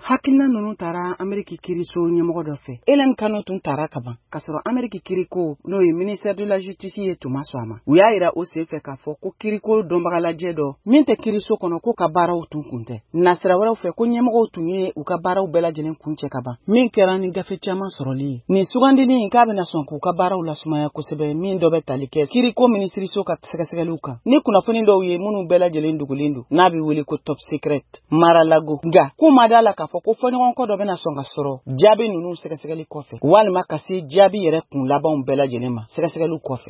Hakilina ninnu tara Ameriki kiiriso ɲɛmɔgɔ dɔ fɛ. Hélène Kano tun tara kaban, k'a sɔrɔ Ameriki kiiriko, n'o ye ministère de la justice ye, tun ma sɔn a ma. U y'a yira o senfɛ k'a fɔ ko kiiriko dɔnbagalajɛ dɔ min tɛ kiiriso kɔnɔ, k'o ka baaraw tun kun tɛ. Nasira wɛrɛw fɛ, ko ɲɛmɔgɔw tun ye u ka baaraw bɛɛ lajɛlen kuncɛ ka ban, min kɛra ni gafe caman sɔrɔli ye. Nin sugandili k'a bɛna sɔn k'u ka baaraw lasumaya kosɛbɛ, min dɔ bɛ tali kɛ kiiriko minisiriso ka sɛgɛsɛgɛliw kan ni kunnafoni dɔw ye minnu bɛɛ lajɛlen dogolen don, n'a bɛ wele ko top secret Mar-a-Lago. Nka k'u ma da la k'a fɔ ko fɔɲɔgɔnkɔ dɔ bɛna sɔn ka sɔrɔ jaabi ninnu sɛgɛsɛgɛli kɔfɛ, walima ka se jaabi yɛrɛ kun labanw bɛɛ lajɛlen ma sɛgɛsɛgɛliw kɔfɛ.